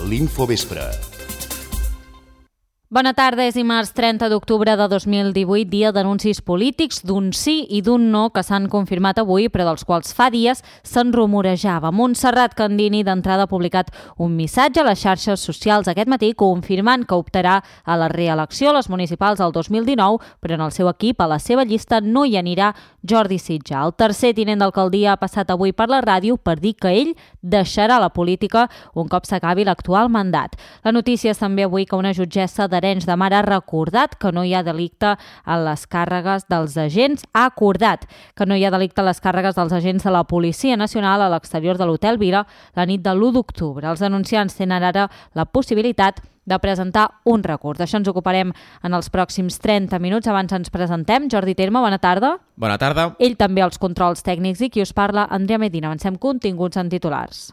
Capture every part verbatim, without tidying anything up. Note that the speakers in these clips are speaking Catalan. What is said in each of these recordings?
l'Infovespre. Bona tarda, és dimarts trenta d'octubre de dos mil divuit, dia d'anuncis polítics d'un sí i d'un no que s'han confirmat avui, però dels quals fa dies se'n rumorejava. Montserrat Candini d'entrada ha publicat un missatge a les xarxes socials aquest matí confirmant que optarà a la reelecció a les municipals del dos mil dinou, però en el seu equip, a la seva llista, no hi anirà Jordi Sitjar. El tercer tinent d'alcaldia ha passat avui per la ràdio per dir que ell deixarà la política un cop s'acabi l'actual mandat. La notícia és també avui que una jutgessa d'Arenys de Mar ha recordat que no hi ha delicte a les càrregues dels agents, ha acordat que no hi ha delicte a les càrregues dels agents de la Policia Nacional a l'exterior de l'Hotel Vila la nit de l'u d'octubre. Els denunciants tenen ara la possibilitat de presentar un recurs. D'això ens ocuparem en els pròxims trenta minuts. Abans ens presentem. Jordi Terme, bona tarda. Bona tarda. Ell també als controls tècnics i qui us parla, Andrea Medina. Avancem continguts en titulars.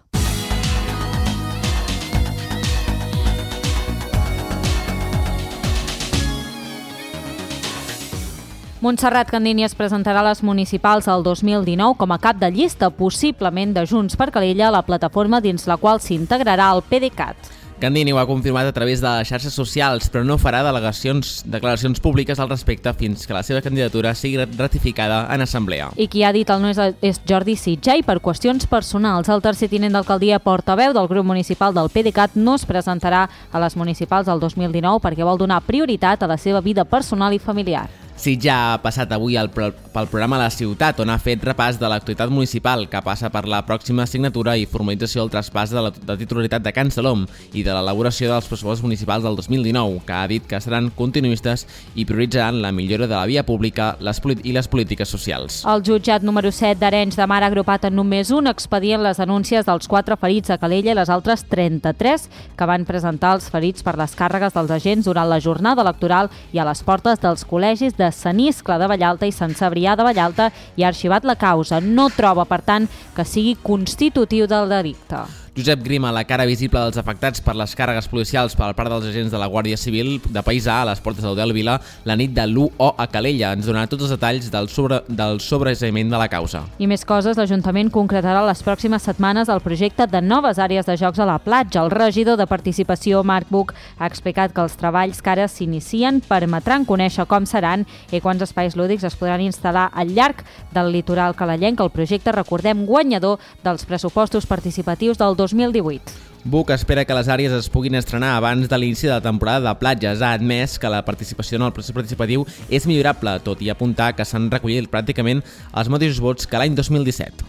Montserrat Candini es presentarà a les municipals el dos mil dinou com a cap de llista, possiblement de Junts per Calella, la plataforma dins la qual s'integrarà el PDeCAT. Candini ho ha confirmat a través de les xarxes socials, però no farà delegacions, declaracions públiques al respecte fins que la seva candidatura sigui ratificada en assemblea. I qui ha dit el no és, és Jordi Sitjar i per qüestions personals. El tercer tinent d'alcaldia portaveu del grup municipal del PDeCAT no es presentarà a les municipals del dos mil dinou perquè vol donar prioritat a la seva vida personal i familiar. Sitjar ha passat avui el, pel programa La Ciutat, on ha fet repàs de l'actualitat municipal, que passa per la pròxima signatura i formalització del traspàs de la de titularitat de Can Salom i de l'elaboració dels pressupostos municipals del dos mil dinou, que ha dit que seran continuistes i prioritzaran la millora de la via pública les i les polítiques socials. El jutjat número set d'Arenys de Mar ha agrupat en només un expedient les denúncies dels quatre ferits a Calella i les altres trenta-tres que van presentar els ferits per les càrregues dels agents durant la jornada electoral i a les portes dels col·legis de Sant Iscle de Vallalta i Sant Cebrià de Vallalta i ha arxivat la causa. No troba, per tant, que sigui constitutiu del delicte. Josep Grima, la cara visible dels afectats per les càrregues policials per part dels agents de la Guàrdia Civil de Paisà a les portes de l'Hotel Vila la nit de l'u o a Calella. Ens donarà tots els detalls del, sobre, del sobreseïment de la causa. I més coses, l'Ajuntament concretarà les pròximes setmanes el projecte de noves àrees de jocs a la platja. El regidor de Participació, Marc Buch, ha explicat que els treballs que ara s'inicien permetran conèixer com seran i quants espais lúdics es podran instal·lar al llarg del litoral calallenc. El projecte, recordem, guanyador dels pressupostos participatius del dos mil divuit. Buch espera que les àrees es puguin estrenar abans de l'inici de la temporada de platges. Ha admès que la participació en el procés participatiu és millorable, tot i apuntar que s'han recollit pràcticament els mateixos vots que l'any dos mil disset.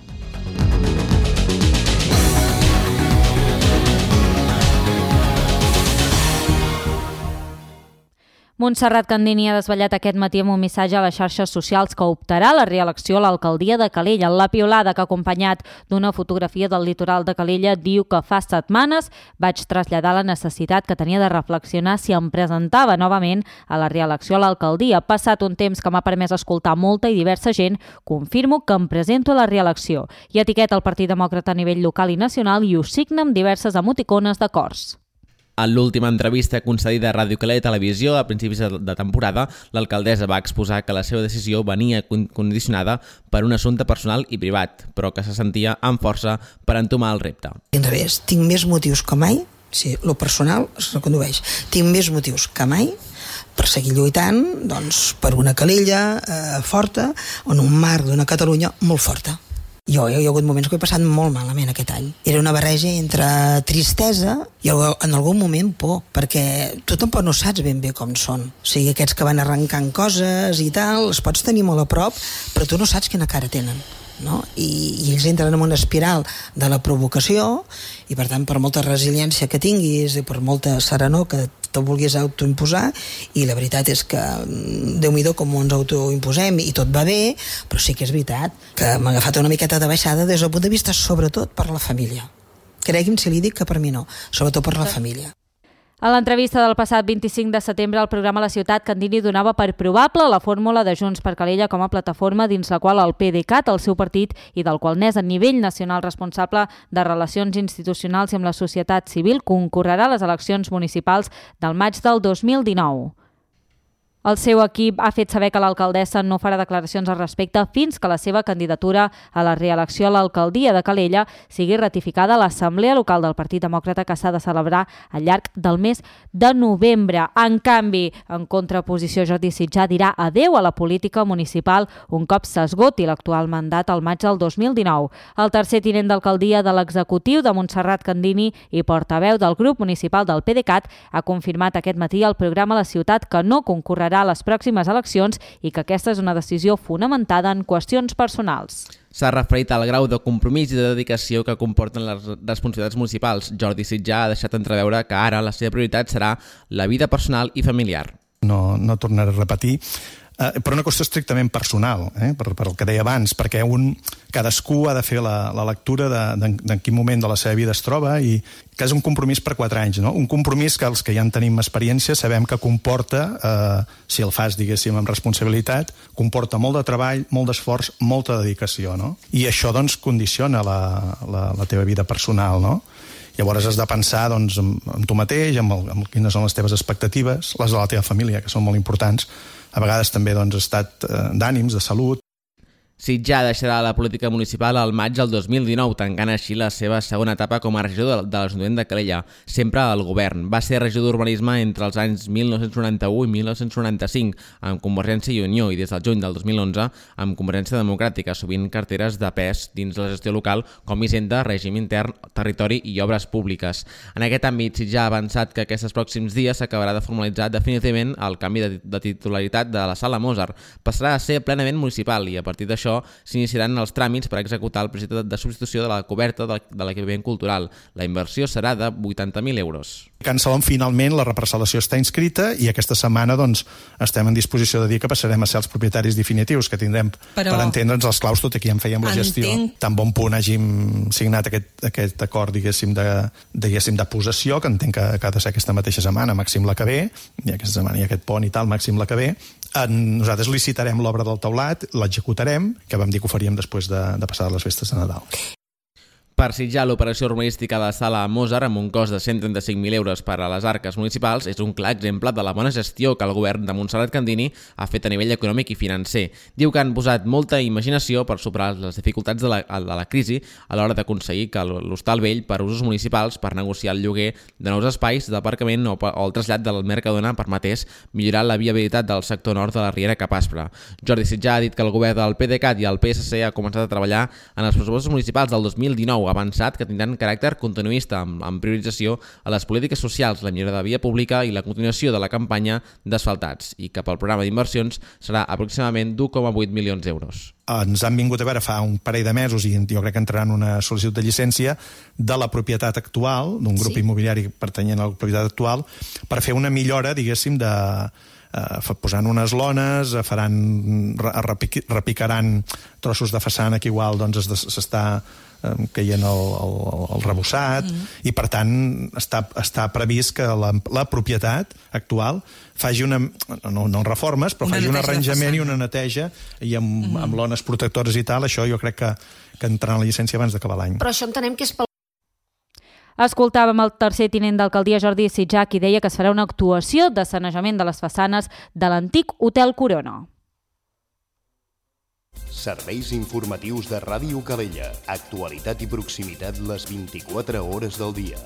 Montserrat Candini ha desvetllat aquest matí amb un missatge a les xarxes socials que optarà a la reelecció a l'alcaldia de Calella. La piulada que ha acompanyat d'una fotografia del litoral de Calella diu que fa setmanes vaig traslladar la necessitat que tenia de reflexionar si em presentava novament a la reelecció a l'alcaldia. Passat un temps que m'ha permès escoltar molta i diversa gent, confirmo que em presento a la reelecció. I etiqueta el Partit Demòcrata a nivell local i nacional i ho signa amb diverses emoticones d'acords. En l'última entrevista concedida a Ràdio Calella Televisió a principis de temporada, l'alcaldessa va exposar que la seva decisió venia condicionada per un assumpte personal i privat, però que se sentia amb força per entomar el repte. Al revés, tinc més motius que mai, si lo personal es recondueix, tinc més motius que mai per seguir lluitant doncs, per una Calella eh, forta, en un marc d'una Catalunya molt forta. Jo, hi ha hagut moments que he passat molt malament aquest any. Era una barreja entre tristesa i en algun moment por, perquè tu tampoc no saps ben bé com són. O sigui, aquests que van arrencant coses i tal, els pots tenir molt a prop, però tu no saps quina cara tenen. No? I, i ells entren en una espiral de la provocació i per tant per molta resiliència que tinguis i per molta serenor que te vulguis autoimposar, i la veritat és que Déu-n'hi-do com ens autoimposem i tot va bé, però sí que és veritat que m'ha agafat una miqueta de baixada des del punt de vista sobretot per la família. Cregui'm si li dic que per mi no, sobretot per la família. A l'entrevista del passat vint-i-cinc de setembre al programa La Ciutat, Candini donava per probable la fórmula de Junts per Calella com a plataforma dins la qual el PDeCAT, el seu partit, i del qual n'és a nivell nacional responsable de relacions institucionals i amb la societat civil, concorrerà a les eleccions municipals del maig del dos mil dinou. El seu equip ha fet saber que l'alcaldessa no farà declaracions al respecte fins que la seva candidatura a la reelecció a l'alcaldia de Calella sigui ratificada a l'Assemblea Local del Partit Demòcrata, que s'ha de celebrar al llarg del mes de novembre. En canvi, en contraposició, Jordi Sitjar dirà adeu a la política municipal un cop s'esgoti l'actual mandat al maig del dos mil dinou. El tercer tinent d'alcaldia de l'executiu de Montserrat Candini i portaveu del grup municipal del PDeCAT ha confirmat aquest matí al programa La Ciutat que no concorrerà a les pròximes eleccions i que aquesta és una decisió fonamentada en qüestions personals. S'ha referit al grau de compromís i de dedicació que comporten les responsabilitats municipals. Jordi Sitjar ha deixat entreveure que ara la seva prioritat serà la vida personal i familiar. No, no tornaré a repetir, eh, però una qüestió estrictament personal, eh, per, per el que deia abans, perquè un, cadascú ha de fer la, la lectura de, de, de en quin moment de la seva vida es troba i que és un compromís per quatre anys, no? Un compromís que els que ja en tenim experiència sabem que comporta, eh, si el fas, diguéssim, amb responsabilitat, comporta molt de treball, molt d'esforç, molta dedicació, no? I això, doncs, condiciona la, la, la teva vida personal, no? Llavors has de pensar, doncs, amb, amb tu mateix, amb, el, amb quines són les teves expectatives, les de la teva família, que són molt importants, a vegades també, doncs, estat eh, d'ànims, de salut. Sitjar deixarà la política municipal al maig del dos mil dinou, tancant així la seva segona etapa com a regidor de l'Ajuntament de Calella, sempre al govern. Va ser regidor d'Urbanisme entre els anys mil nou-cents noranta-u i mil nou-cents noranta-cinc amb Convergència i Unió i des del juny del dos mil onze amb Convergència Democràtica, sovint carteres de pes dins la gestió local com Hisenda, Règim Intern, Territori i Obres Públiques. En aquest àmbit, Sitjar ha avançat que aquests pròxims dies s'acabarà de formalitzar definitivament el canvi de, de titularitat de la Sala Mozart. Passarà a ser plenament municipal i a partir d'això s'iniciaran els tràmits per executar el projecte de substitució de la coberta de l'equipament cultural. La inversió serà de vuitanta mil euros. Can Salom, finalment, la reparcel·lació està inscrita i aquesta setmana doncs, estem en disposició de dir que passarem a ser els propietaris definitius, que tindrem Però... per entendre'ns els claus, tot i que ja en fèiem la gestió. Entenc... Tan bon punt hàgim signat aquest, aquest acord, diguéssim, de, diguéssim, de possessió, que entenc que, que ha de ser aquesta mateixa setmana, màxim la que ve, i aquesta setmana hi ha aquest pont i tal, màxim la que ve. Nosaltres licitarem l'obra del teulat, l'executarem, que vam dir que ho faríem després de, de passar les festes de Nadal. Per Sitjar, l'operació urbanística de la Sala Mozart, amb un cost de cent trenta-cinc mil euros per a les arques municipals, és un clar exemple de la bona gestió que el govern de Montserrat Candini ha fet a nivell econòmic i financer. Diu que han posat molta imaginació per superar les dificultats de la, de la crisi a l'hora d'aconseguir que l'hostal vell per usos municipals per negociar el lloguer de nous espais d'aparcament o, o el trasllat del Mercadona permetés millorar la viabilitat del sector nord de la Riera cap Aspre. Jordi Sitjar ha dit que el govern del PDeCAT i el P S C ha començat a treballar en els pressupostos municipals del dos mil dinou, avançat que tindran caràcter continuista amb, amb priorització a les polítiques socials, la millora de via pública i la continuació de la campanya d'asfaltats i que pel programa d'inversions serà aproximadament d'un coma vuit milions d'euros. Ens han vingut a veure fa un parell de mesos i jo crec que entraran una sol·licitud de llicència de la propietat actual, d'un grup sí. immobiliari pertanyent a la propietat actual, per fer una millora, diguéssim, de Uh, posant unes lones, faran, repic, repicaran trossos de façana que igual doncs, s'està um, caient el, el, el rebossat mm. i per tant està, està previst que la, la propietat actual faci una, no, no reformes, però una faci un arranjament i una neteja i amb, mm. amb lones protectores i tal. Això jo crec que, que entrarà en la llicència abans d'acabar l'any. Però això entenem que és pel Escoltàvem el tercer tinent d'alcaldia, Jordi Sitjar, qui deia que es farà una actuació de sanejament de les façanes de l'antic Hotel Corona. Serveis informatius de Ràdio Calella. Actualitat i proximitat les vint-i-quatre hores del dia.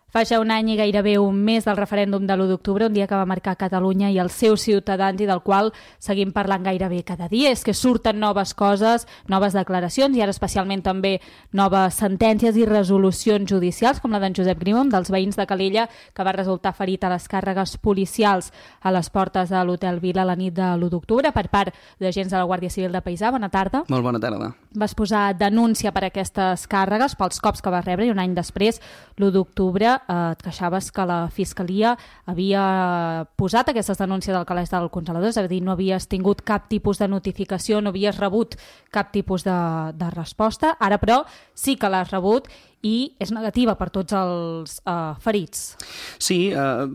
Fa ja un any i gairebé un mes del referèndum de l'u d'octubre, un dia que va marcar Catalunya i els seus ciutadans i del qual seguim parlant gairebé cada dia. És que surten noves coses, noves declaracions i ara especialment també noves sentències i resolucions judicials, com la d'en Josep Grima, un dels veïns de Calella, que va resultar ferit a les càrregues policials a les portes de l'Hotel Vila la nit de l'u d'octubre per part d'agents de la Guàrdia Civil de Paisà. Bona tarda. Molt bona tarda. Vas posar denúncia per aquestes càrregues, pels cops que vas rebre, i un any després, l'u d'octubre, et queixaves que la Fiscalia havia posat aquestes denúncies al calaix del congelador, és a dir, no havies tingut cap tipus de notificació, no havies rebut cap tipus de, de resposta. Ara, però, sí que l'has rebut i és negativa per tots els uh, ferits. Sí, uh,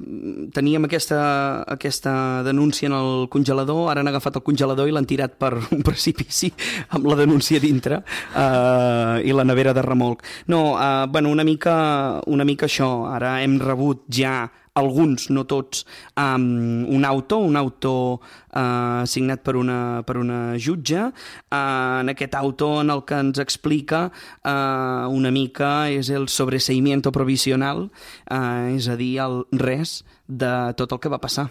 teníem aquesta, aquesta denúncia en el congelador, ara han agafat el congelador i l'han tirat per un precipici amb la denúncia dintre uh, i la nevera de remolc. No, uh, bueno, una mica, una mica això, ara hem rebut ja alguns, no tots, um, un auto, un auto uh, signat per una, per una jutge. Uh, en aquest auto en el que ens explica uh, una mica és el sobreseimiento provisional, uh, és a dir, el res de tot el que va passar.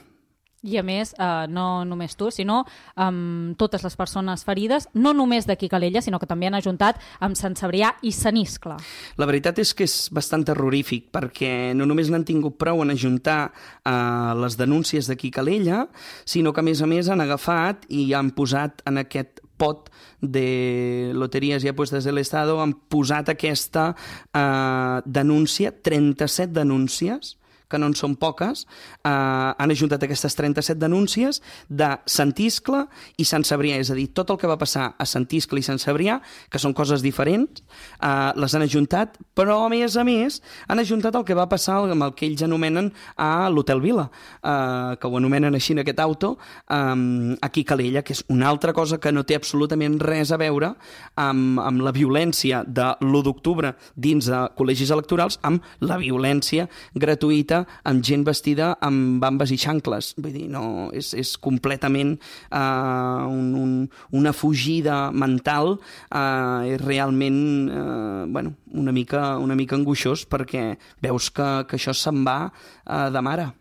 I a més, eh, no només tu, sinó um, totes les persones ferides, no només d'aquí Calella, sinó que també han ajuntat amb Sant Cebrià i Sant Iscle. La veritat és que és bastant terrorífic, perquè no només n'han tingut prou en ajuntar uh, les denúncies d'aquí Calella, sinó que a més a més han agafat i han posat en aquest pot de loteries i apuestes de l'Estado, han posat aquesta uh, denúncia, trenta-set denúncies, que no en són poques, eh, han ajuntat aquestes trenta-set denúncies de Sant Iscle i Sant Cebrià, és a dir, tot el que va passar a Sant Iscle i Sant Cebrià, que són coses diferents, eh, les han ajuntat, però a més a més han ajuntat el que va passar amb el que ells anomenen a l'Hotel Vila, eh, que ho anomenen així en aquest auto, eh, aquí a Calella, que és una altra cosa que no té absolutament res a veure amb, amb la violència de l'u d'octubre dins de col·legis electorals, amb la violència gratuïta amb gent vestida amb bambes i xancles. Vull dir, no, és, és completament uh, un, un, una fugida mental, uh, és realment uh, bueno, una mica, una mica angoixós, perquè veus que, que això se'n va uh, de mare.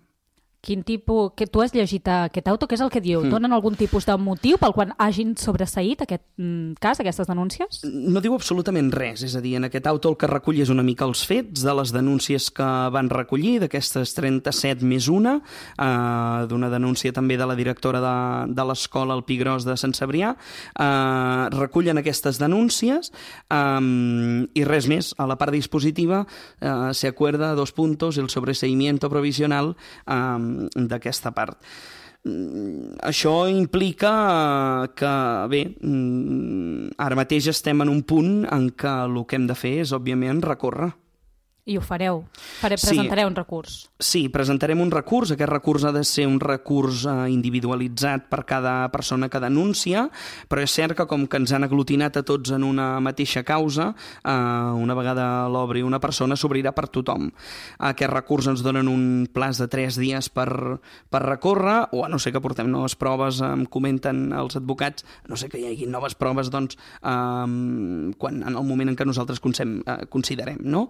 Quin tipus... Que tu has llegit aquest auto, què és el que diu? Mm. Donen algun tipus de motiu pel qual hagin sobreseït aquest mm, cas, aquestes denúncies? No diu absolutament res, és a dir, en aquest auto el que recull és una mica els fets de les denúncies que van recollir, d'aquestes trenta-set més una, eh, d'una denúncia també de la directora de, de l'escola El Pi Gros de Sant Cebrià, eh, recullen aquestes denúncies eh, i res més. A la part dispositiva eh, se acuerda dos puntos el sobreseimiento provisional eh, d'aquesta part. Això implica que, bé, ara mateix estem en un punt en què el que hem de fer és, òbviament, recórrer. I ho fareu? Faré, presentareu sí. un recurs? Sí, presentarem un recurs. Aquest recurs ha de ser un recurs eh, individualitzat per cada persona que denuncia, però és cert que com que ens han aglutinat a tots en una mateixa causa, eh, una vegada l'obri una persona, s'obrirà per tothom. Aquest recurs ens donen un plaç de tres dies per, per recórrer, o a no ser que portem noves proves, em comenten els advocats, a no ser que hi hagi noves proves, doncs, eh, quan, en el moment en què nosaltres considerem, no?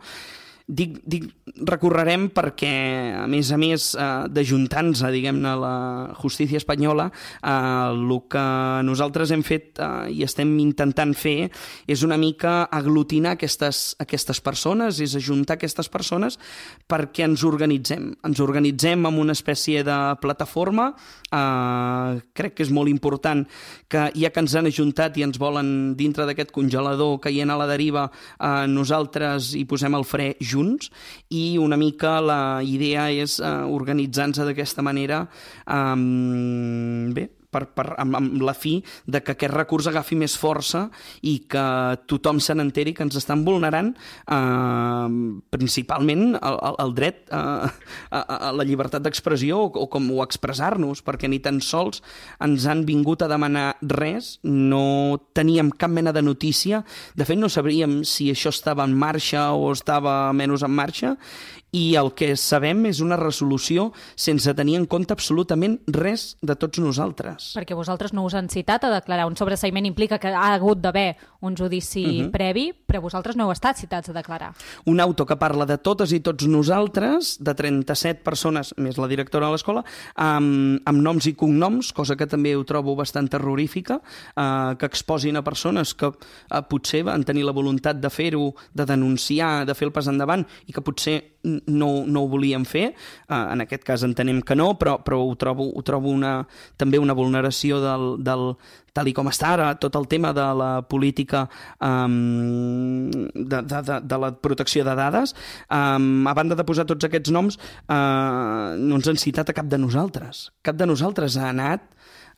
Dic, dic recorrerem perquè, a més a més eh, d'ajuntar-nos, diguem-ne, a la justícia espanyola, eh, el que nosaltres hem fet eh, i estem intentant fer és una mica aglutinar aquestes, aquestes persones, és ajuntar aquestes persones perquè ens organitzem. Ens organitzem amb una espècie de plataforma. Eh, crec que és molt important que ja que ens han ajuntat i ens volen dintre d'aquest congelador caient a la deriva, eh, nosaltres hi posem el fre junts, i una mica la idea és uh, organitzar-nos d'aquesta manera, um, bé, per, per, amb, amb la fi de que aquest recurs agafi més força i que tothom se n'enteri que ens estan vulnerant eh, principalment el, el dret a, a, a la llibertat d'expressió o, o com o expressar-nos, perquè ni tan sols ens han vingut a demanar res, no teníem cap mena de notícia, de fet no sabríem si això estava en marxa o estava menys en marxa, i el que sabem és una resolució sense tenir en compte absolutament res de tots nosaltres. Perquè vosaltres no us han citat a declarar. Un sobreseïment implica que ha hagut d'haver un judici uh-huh. previ, però vosaltres no heu estat citats a declarar. Un auto que parla de totes i tots nosaltres, de trenta-set persones, més la directora de l'escola, amb, amb noms i cognoms, cosa que també ho trobo bastant terrorífica, eh, que exposin a persones que eh, potser van tenir la voluntat de fer-ho, de denunciar, de fer el pas endavant, i que potser no, no ho volíem fer. Uh, en aquest cas entenem que no, però, però ho trobo, ho trobo una, també una vulneració del, del, tal i com està ara, tot el tema de la política um, de, de, de, de la protecció de dades. Um, a banda de posar tots aquests noms, uh, no ens han citat a cap de nosaltres. Cap de nosaltres ha anat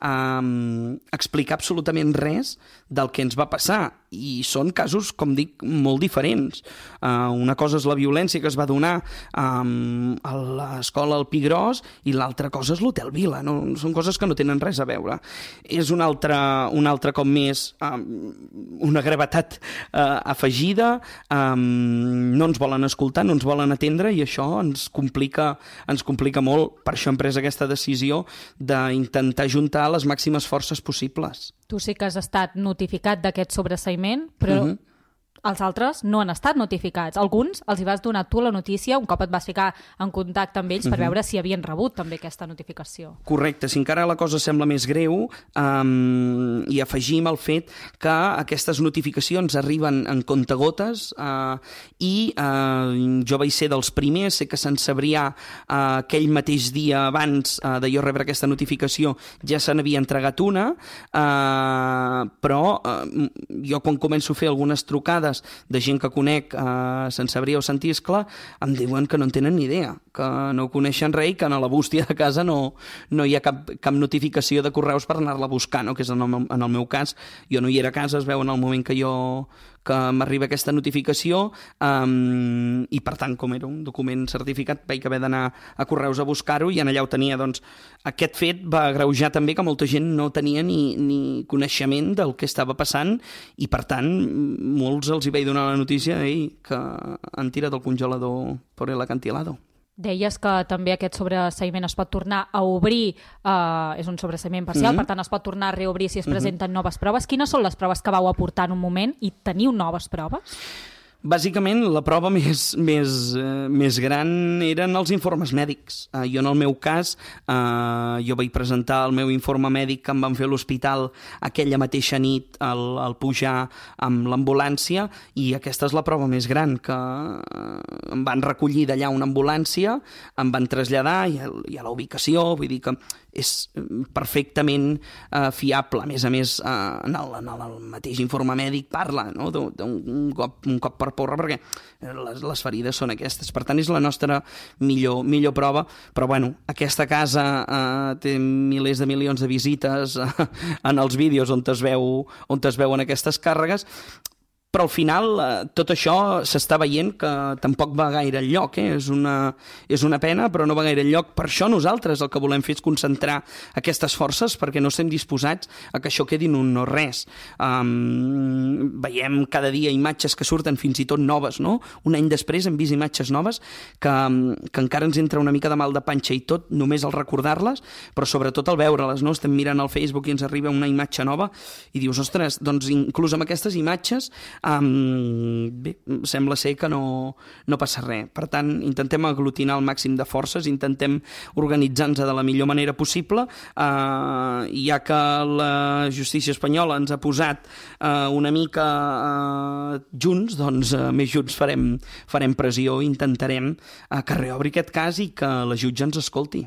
a um, explicar absolutament res del que ens va passar, i són casos, com dic, molt diferents. Uh, una cosa és la violència que es va donar um, a l'escola al Pi Gros i l'altra cosa és l'Hotel Vila. No? Són coses que no tenen res a veure. És un altre, un altre cop més, um, una gravetat uh, afegida, um, no ens volen escoltar, no ens volen atendre i això ens complica, ens complica molt. Per això hem pres aquesta decisió d'intentar juntar les màximes forces possibles. Tu sí que has estat notificat d'aquest sobreseïment, però uh-huh. els altres no han estat notificats. Alguns els hi vas donar tu la notícia, un cop et vas ficar en contacte amb ells per uh-huh. veure si havien rebut també aquesta notificació. Correcte, si encara la cosa sembla més greu, um, i afegim el fet que aquestes notificacions arriben en comptagotes uh, i uh, jo vaig ser dels primers, sé que Sant Cebrià uh, aquell mateix dia abans uh, de jo rebre aquesta notificació ja se n'havia entregat una, uh, però uh, jo quan començo a fer algunes trucades de gent que conec a Sant Cebrià o Sant Iscle, em diuen que no en tenen ni idea, que no coneixen res i que a la bústia de casa no, no hi ha cap, cap notificació de correus per anar-la a buscar, no? Que és en el, meu, en el meu cas. Jo no hi era a casa, es veu en el moment que jo que m'arriba aquesta notificació um, i per tant, com era un document certificat, vaig haver d'anar a correus a buscar-ho i en allà ho tenia. Doncs aquest fet va agreujar també que molta gent no tenia ni, ni coneixement del que estava passant i per tant molts els hi vaig donar la notícia ei, que han tirat el congelador per l'acantilado. Deies que també aquest sobreseïment es pot tornar a obrir, eh, és un sobreseïment parcial, mm-hmm. per tant es pot tornar a reobrir si es presenten mm-hmm. noves proves. Quines són les proves que vau aportar en un moment i teniu noves proves? Bàsicament, la prova més, més, eh, més gran eren els informes mèdics. Eh, jo, en el meu cas, eh, jo vaig presentar el meu informe mèdic que em van fer a l'hospital aquella mateixa nit al, al pujar amb l'ambulància i aquesta és la prova més gran, que eh, em van recollir d'allà una ambulància, em van traslladar i a, i a la ubicació, vull dir que és perfectament uh, fiable. A més a més, uh, en, el, en el mateix informe mèdic parla no? d'un cop, un cop per porra, perquè les, les ferides són aquestes. Per tant, és la nostra millor, millor prova. Però, bueno, aquesta casa uh, té milers de milions de visites uh, en els vídeos on es veu, on es veuen aquestes càrregues, però al final eh, tot això s'està veient que tampoc va gaire enlloc, eh? és, una, és una pena, però no va gaire enlloc. Per això nosaltres el que volem fer és concentrar aquestes forces perquè no estem disposats a que això quedi en un no res. Um, veiem cada dia imatges que surten fins i tot noves, no? Un any després hem vist imatges noves que, que encara ens entra una mica de mal de panxa i tot només al recordar-les, però sobretot al veure-les, no? Estem mirant al Facebook i ens arriba una imatge nova i dius, ostres, doncs inclús amb aquestes imatges Um, bé, sembla ser que no, no passa res. Per tant, intentem aglutinar el màxim de forces, intentem organitzar-nos de la millor manera possible, uh, ja que la justícia espanyola ens ha posat uh, una mica uh, junts, doncs uh, més junts farem, farem pressió i intentarem uh, que reobri aquest cas i que la jutge ens escolti.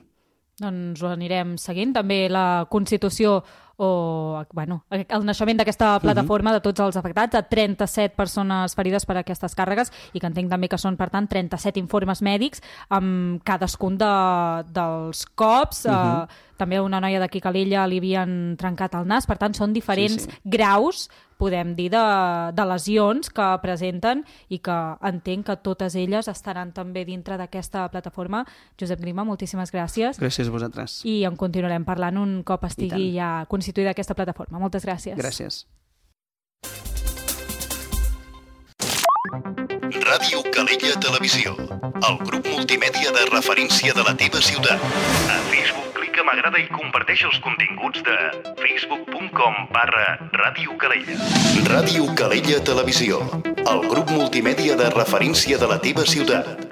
Doncs ho anirem seguint. També la Constitució o bueno, el naixement d'aquesta plataforma de tots els afectats, a trenta-set persones ferides per aquestes càrregues i que entenc també que són, per tant, trenta-set informes mèdics amb cadascun de, dels cops. Uh-huh. eh, també una noia d'aquí Calella li havien trencat el nas, per tant, són diferents sí, sí. graus, podem dir, de, de lesions que presenten i que entenc que totes elles estaran també dintre d'aquesta plataforma. Josep Grima, moltíssimes gràcies. Gràcies a vosaltres. I en continuarem parlant un cop estigui ja constituïda aquesta plataforma. Moltes gràcies. Gràcies. Ràdio Calella Televisió, el grup multimèdia de referència de la teva ciutat. A Facebook clica m'agrada i comparteix els continguts de facebook punt com barra Ràdio Calella. Ràdio Calella Televisió, el grup multimèdia de referència de la teva ciutat.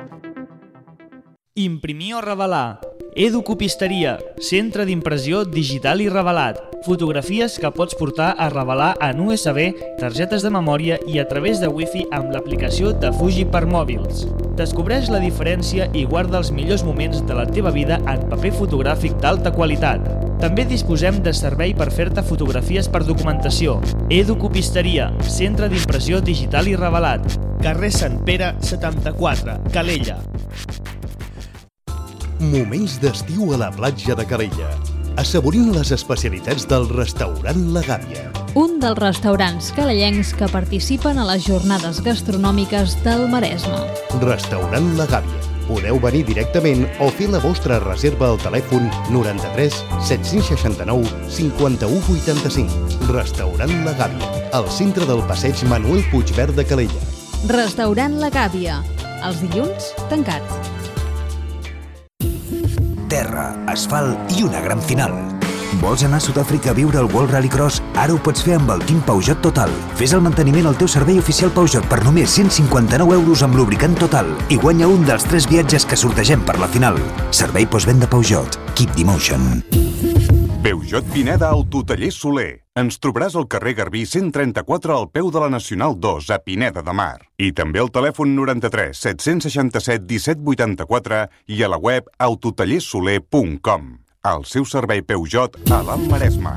Imprimir o revelar. Educopisteria, centre d'impressió digital i revelat. Fotografies que pots portar a revelar en U S B, targetes de memòria i a través de Wi-Fi amb l'aplicació de Fuji per mòbils. Descobreix la diferència i guarda els millors moments de la teva vida en paper fotogràfic d'alta qualitat. També disposem de servei per fer-te fotografies per documentació. Educopisteria, centre d'impressió digital i revelat. Carrer Sant Pere, setanta-quatre, Calella. Moments d'estiu a la platja de Calella. assaborint les especialitats del restaurant La Gàbia. Un dels restaurants calellencs que participen a les jornades gastronòmiques del Maresme. Restaurant La Gàbia. Podeu venir directament o fer la vostra reserva al telèfon noranta-tres set-cents seixanta-nou cinquanta-u vuitanta-cinc. Restaurant La Gàbia, al centre del passeig Manuel Puigverd de Calella. Restaurant La Gàbia. Els dilluns, tancat. Terra, asfalt i una gran final. Vols anar a Sud-àfrica a viure el World Rallycross? Ara ho pots fer amb el Team Peugeot Total. Fes el manteniment al teu servei oficial Peugeot per només cent cinquanta-nou euros amb lubricant Total i guanya un dels tres viatges que sortegem per la final. Servei postvenda Peugeot. Keep the motion. Peugeot Pineda Autotaller Soler. Ens trobaràs al carrer Garbí cent trenta-quatre al peu de la Nacional dos a Pineda de Mar. I també al telèfon noranta-tres set-cents seixanta-set disset vuitanta-quatre i a la web autotallersoler punt com. El seu servei Peugeot a l'Alt Maresme.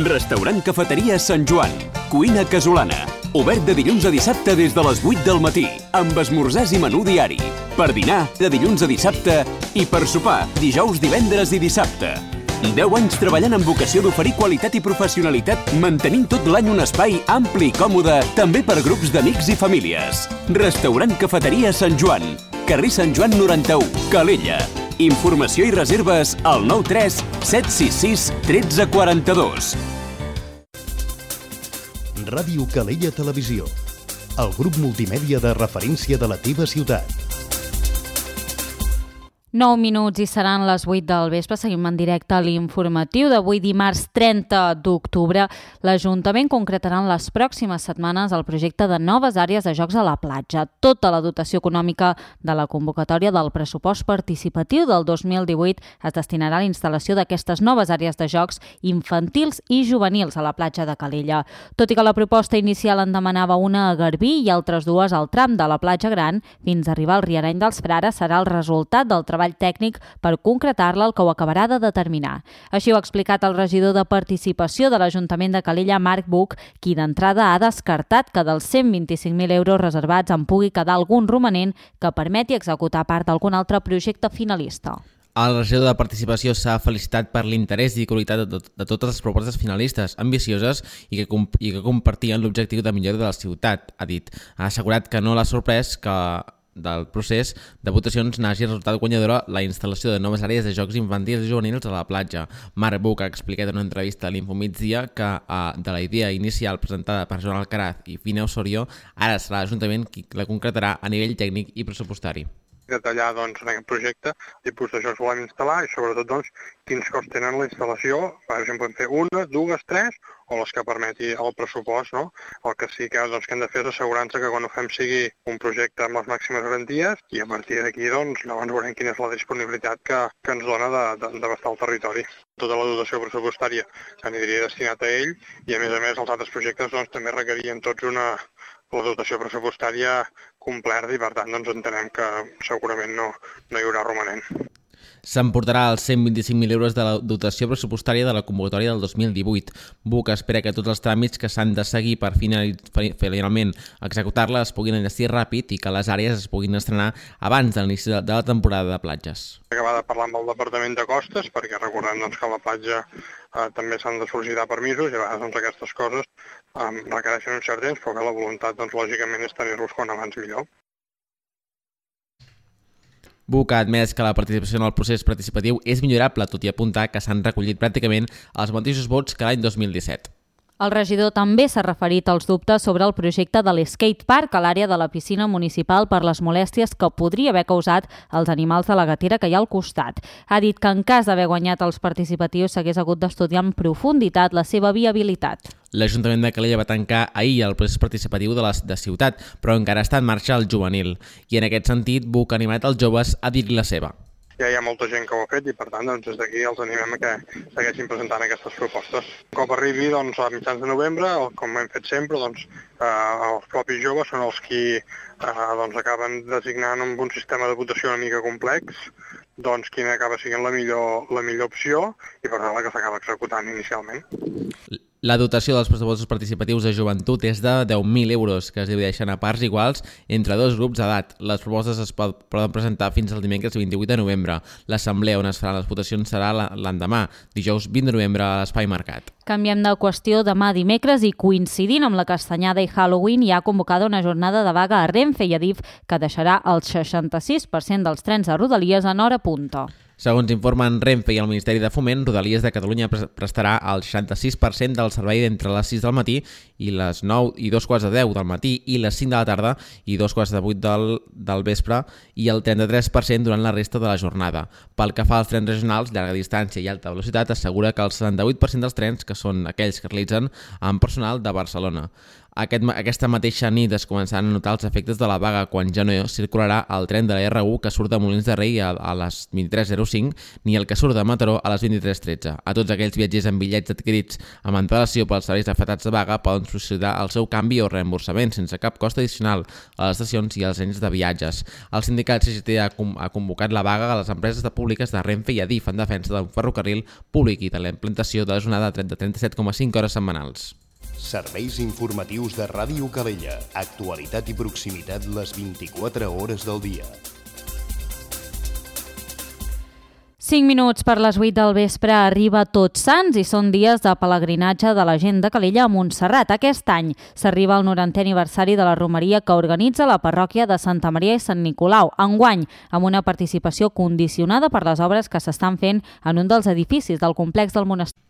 Restaurant Cafeteria Sant Joan. Cuina casolana. Obert de dilluns a dissabte des de les vuit del matí, amb esmorzars i menú diari. Per dinar, de dilluns a dissabte, i per sopar, dijous, divendres i dissabte. deu anys treballant amb vocació d'oferir qualitat i professionalitat, mantenint tot l'any un espai ampli i còmode, també per grups d'amics i famílies. Restaurant Cafeteria Sant Joan. Carrer Sant Joan noranta-u, Calella. Informació i reserves al nou tres set sis sis un tres quatre dos. Ràdio Calella Televisió. El grup multimèdia de referència de la teva ciutat. nou minuts i seran les vuit del vespre. Seguim en directe a l'informatiu d'avui dimarts trenta d'octubre. L'Ajuntament concretarà en les pròximes setmanes el projecte de noves àrees de jocs a la platja. Tota la dotació econòmica de la convocatòria del pressupost participatiu del dos mil divuit es destinarà a la instal·lació d'aquestes noves àrees de jocs infantils i juvenils a la platja de Calella. Tot i que la proposta inicial en demanava una a Garbí i altres dues al tram de la platja gran, fins a arribar al Riareny dels Frares serà el resultat del treball tècnic per concretar-la el que ho acabarà de determinar. Així ho ha explicat el regidor de Participació de l'Ajuntament de Calella, Marc Buch, qui d'entrada ha descartat que dels cent vint-i-cinc mil euros reservats en pugui quedar algun romanent que permeti executar part d'algun altre projecte finalista. El regidor de Participació s'ha felicitat per l'interès i qualitat de, tot, de totes les propostes finalistes, ambicioses i que, i que compartien l'objectiu de millora de la ciutat, ha dit. Ha assegurat que no l'ha sorprès que del procés de votacions n'hagi resultat guanyadora la instal·lació de noves àrees de jocs infantils i juvenils a la platja. Marc Buch ha explicat en una entrevista a l'Infomigdia que eh, de la idea inicial presentada per Joan Alcaraz i Fina Osorio, ara serà l'Ajuntament qui la concretarà a nivell tècnic i pressupostari. Detallar doncs, en aquest projecte tipus de jocs volem instal·lar i sobretot doncs, quins costs tenen la instal·lació, per exemple, fer una, dues, tres o les que permeti el pressupost. No? El que sí que, doncs, que hem de fer és assegurar-nos que quan ho fem sigui un projecte amb les màximes garanties i a partir d'aquí doncs, llavors veurem quina és la disponibilitat que, que ens dona d'abastar el territori. Tota la dotació pressupostària s'aniria destinat a ell i a més a més els altres projectes doncs, també requerien tots una la dotació pressupostària completa i per tant doncs, entenem que segurament no, no hi haurà romanent. S'emportarà els cent vint-i-cinc mil euros de la dotació pressupostària de la convocatòria del dos mil divuit. Buch espera que tots els tràmits que s'han de seguir per finalment executar-la es puguin enllestir ràpid i que les àrees es puguin estrenar abans de l'inici de la temporada de platges. Acabar de parlar amb el Departament de Costes perquè recordem doncs, que a la platja eh, també s'han de sol·licitar permisos i a vegades doncs, aquestes coses eh, requereixen un cert temps, però que la voluntat doncs, lògicament és tenir-los quan abans millor. Buch ha admès que la participació en el procés participatiu és millorable, tot i apuntar que s'han recollit pràcticament els mateixos vots que l'any dos mil disset. El regidor també s'ha referit als dubtes sobre el projecte de l'skate park a l'àrea de la piscina municipal per les molèsties que podria haver causat als animals de la gatera que hi ha al costat. Ha dit que en cas d'haver guanyat els participatius s'hagués hagut d'estudiar en profunditat la seva viabilitat. L'Ajuntament de Calella va tancar ahir el procés participatiu de la de ciutat, però encara està en marxa el juvenil. I en aquest sentit, Buch ha animat els joves a dir-li la seva. Ja hi ha molta gent que ho ha fet i, per tant, doncs, des d'aquí els animem a que segueixin presentant aquestes propostes. Un cop arribi doncs, a mitjans de novembre, com hem fet sempre, doncs, eh, els propis joves són els qui eh, doncs, acaben designant amb un sistema de votació una mica complex doncs, quina acaba sent la millor, la millor opció i per tant la que s'acaba executant inicialment. La dotació dels pressupostos participatius de joventut és de deu mil euros, que es divideixen a parts iguals entre dos grups d'edat. Les propostes es poden presentar fins al dimecres vint-i-vuit de novembre. L'assemblea on es faran les votacions serà l'endemà, dijous vint de novembre, a l'Espai Mercat. Canviem de qüestió. Demà dimecres i coincidint amb la Castanyada i Halloween hi ha convocada una jornada de vaga a Renfe i Adif que deixarà el seixanta-sis per cent dels trens de Rodalies en hora punta. Segons informen Renfe i el Ministeri de Foment, Rodalies de Catalunya prestarà el seixanta-sis per cent del servei d'entre les sis del matí i les nou i dos quarts de deu del matí i les cinc de la tarda i dos quarts de vuit del, del vespre i el trenta-tres per cent durant la resta de la jornada. Pel que fa als trens regionals, llarga distància i alta velocitat, assegura que el setanta-vuit per cent dels trens, que són aquells que realitzen amb personal de Barcelona. Aquest, aquesta mateixa nit es començaran a notar els efectes de la vaga quan ja no circularà el tren de la erre u que surt de Molins de Rei a, a les vint-i-tres zero cinc ni el que surt de Mataró a les vint-i-tres tretze. A tots aquells viatgers amb bitllets adquirits amb antelació pels serveis afectats de vaga poden sol·licitar el seu canvi o reemborsament sense cap cost addicional a les estacions i als agents de viatges. El sindicat C G T ha, ha convocat la vaga a les empreses de públiques de Renfe i Adif en defensa d'un ferrocarril públic i de la implantació de la jornada de trenta-set coma cinc hores setmanals. Serveis informatius de Ràdio Calella. Actualitat i proximitat les vint-i-quatre hores del dia. cinc minuts per les vuit del vespre arriba Tots Sants i són dies de pelegrinatge de la gent de Calella a Montserrat. Aquest any s'arriba al norantè aniversari de la romeria que organitza la parròquia de Santa Maria i Sant Nicolau, enguany amb una participació condicionada per les obres que s'estan fent en un dels edificis del complex del monestir.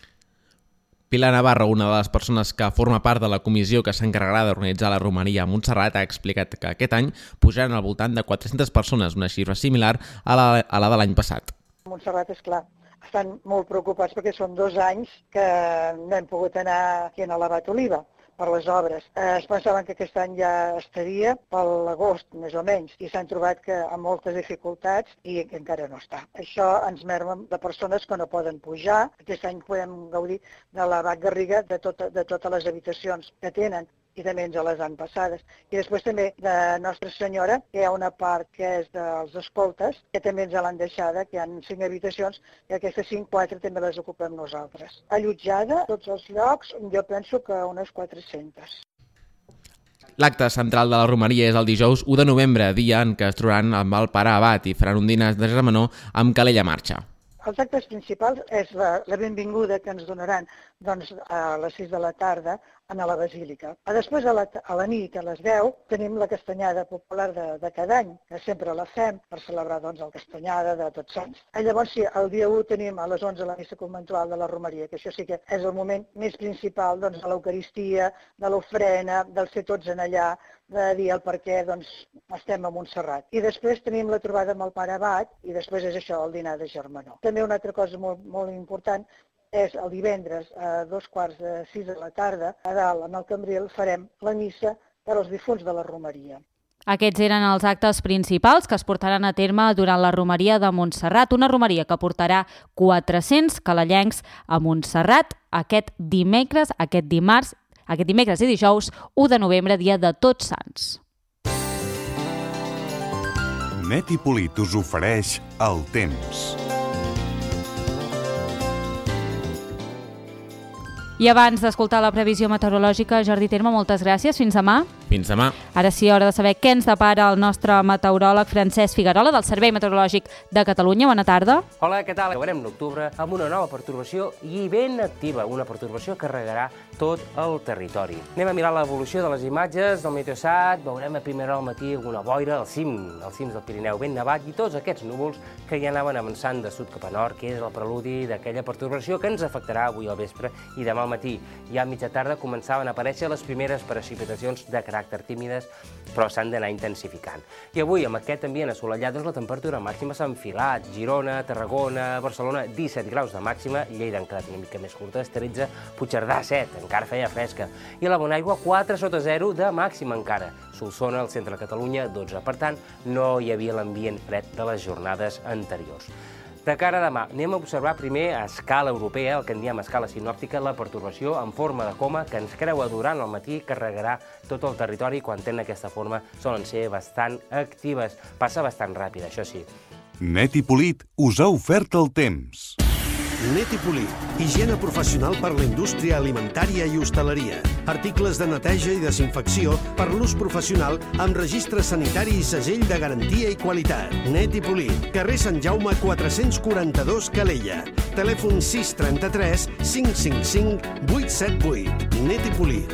Pilar Navarro, una de les persones que forma part de la comissió que s'encarregarà d'organitzar la romeria a Montserrat, ha explicat que aquest any pujaran al voltant de quatre-centes persones, una xifra similar a la, a la de l'any passat. Montserrat, és clar, estan molt preocupats perquè són dos anys que no hem pogut anar aquí a l'Abat Oliva per les obres. Eh, es pensaven que aquest any ja estaria per l'agost, més o menys, i s'han trobat que amb moltes dificultats i que encara no està. Això ens merma de persones que no poden pujar. Aquest any podem gaudir de l'Abat Garriga, de, tot, de totes les habitacions que tenen, i també ens les han passades. I després també de Nostra Senyora, que hi ha una part que és dels escoltes, que també ens l'han deixada, que hi ha cinc habitacions, i aquestes cinc, quatre també les ocupem nosaltres. Allotjada, tots els llocs, jo penso que unes quatre-centes. L'acte central de la romeria és el dijous u de novembre, dia en què es trobaran amb el pare abat i faran un dinar de germanor amb Calella Marxa. Els actes principals és la, la benvinguda que ens donaran doncs, a les sis de la tarda a la Basílica. A després, a la, a la nit, a les deu, tenim la castanyada popular de, de cada any, que sempre la fem per celebrar doncs, el castanyada de Tots Sants. I llavors, sí, el dia u tenim a les onze la missa conventual de la romeria, que això sí que és el moment més principal doncs, de l'Eucaristia, de l'ofrena, del ser tots en allà, de dir el per què doncs, estem a Montserrat. I després tenim la trobada amb el pare abat i després és això, el dinar de germanor. També una altra cosa molt, molt important és el divendres a dos quarts de sis de la tarda, a dalt, amb el Cambril, farem la missa per als difunts de la romeria. Aquests eren els actes principals que es portaran a terme durant la romeria de Montserrat, una romeria que portarà quatre-cents calellencs a Montserrat aquest dimecres, aquest dimarts, aquest dimecres i dijous, u de novembre, dia de Tots Sants. Net i Polit us ofereix el temps. I abans d'escoltar la previsió meteorològica, Jordi Terme, moltes gràcies. Fins demà. Fins demà. Ara sí, hora de saber què ens depara el nostre meteoròleg Francesc Figuerola del Servei Meteorològic de Catalunya. Bona tarda. Hola, què tal? Acabarem l'octubre amb una nova pertorbació i ben activa, una pertorbació que regarà tot el territori. Anem a mirar l'evolució de les imatges del Meteosat, veurem a primera hora al matí alguna boira al cim, als cims del Pirineu ben nevat i tots aquests núvols que ja anaven avançant de sud cap a nord, que és el preludi d'aquella pertorbació que ens afectarà avui al vespre i demà al matí. Ja a mitja tarda començaven a aparèixer les primeres precipitacions de caràcter tímides, però s'han d'anar intensificant. I avui, amb aquest ambient assolellat, doncs la temperatura màxima s'ha enfilat. Girona, Tarragona, Barcelona, disset graus de màxima, Lleida han quedat una mica més curtes, tretze, Puigcerdà, set, encara feia fresca. I la Bonaigua, quatre sota zero de màxima encara. Solsona, al centre de Catalunya, dotze. Per tant, no hi havia l'ambient fred de les jornades anteriors. De cara a demà, anem a observar primer a escala europea, el que en diem a escala sinòptica, la pertorbació en forma de coma que ens creua durant el matí, carregarà tot el territori. Quan tenen aquesta forma solen ser bastant actives. Passa bastant ràpid, això sí. Net i Polit us ha ofert el temps. Net i Polir. Higiene professional per la indústria alimentària i hostaleria. Articles de neteja i desinfecció per l'ús professional amb registre sanitari i segell de garantia i qualitat. Net i Polir. Carrer Sant Jaume quatre-cents quaranta-dos, Calella. Telèfon sis trenta-tres cinc cinc cinc vuit set vuit. Net i Polir.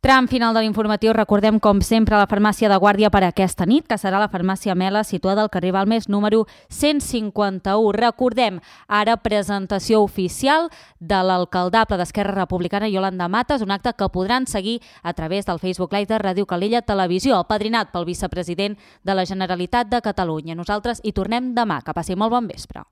Tram final de l'informatiu. Recordem, com sempre, la farmàcia de guàrdia per aquesta nit, que serà la farmàcia Mela, situada al carrer Balmes, número cent cinquanta-u. Recordem, ara presentació oficial de l'alcaldable d'Esquerra Republicana, Iolanda Matas, un acte que podran seguir a través del Facebook Live de Ràdio Calella Televisió, apadrinat pel vicepresident de la Generalitat de Catalunya. Nosaltres hi tornem demà. Que passi molt bon vespre.